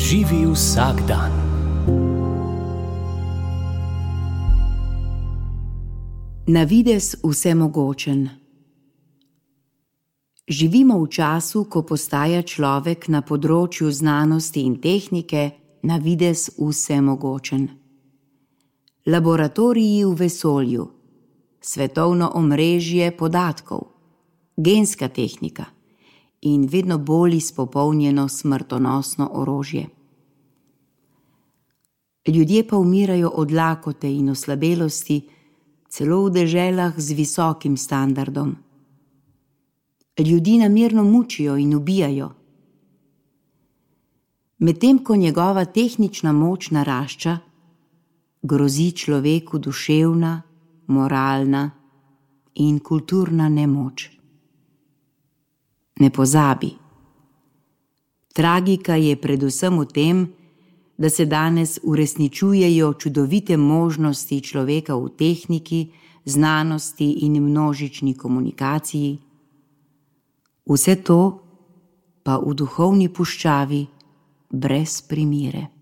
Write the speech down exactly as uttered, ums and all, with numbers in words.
Živi vsak dan. Na videz vsemogočen. Živimo v času, ko postaja človek na področju znanosti in tehnike na videz vsemogočen. Laboratoriji v vesolju, svetovno omrežje podatkov, genska tehnika in vedno bolj izpopolnjeno smrtonosno orožje. Ljudje pa umirajo od lakote in oslabelosti, celo v deželah z visokim standardom. Ljudi namerno mučijo in ubijajo. Medtem ko njegova tehnična moč narašča, grozi človeku duševna, moralna in kulturna nemoč. Ne pozabi. Tragika je predvsem v tem, da se danes uresničujejo čudovite možnosti človeka v tehniki, znanosti in množični komunikaciji. Vse to pa v duhovni puščavi brez primere.